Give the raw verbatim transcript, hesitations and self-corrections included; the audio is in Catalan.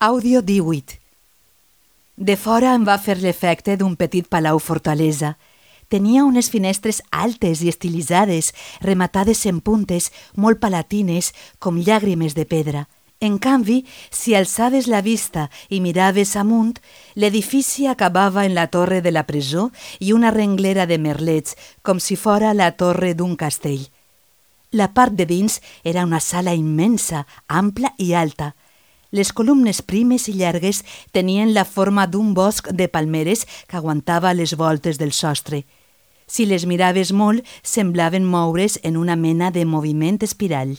Àudio díhuit. De fora em va fer l'efecte d'un petit palau-fortalesa. Tenia unes finestres altes i estilitzades, rematades en puntes, molt palatines, com llàgrimes de pedra. En canvi, si alçaves la vista i miraves amunt, l'edifici acabava en la torre de la presó i una renglera de merlets, com si fora la torre d'un castell. La part de dins era una sala immensa, ampla i alta. Les columnes primes i llargues tenien la forma d'un bosc de palmeres que aguantava les voltes del sostre. Si les miraves molt, semblaven moure's en una mena de moviment espiral.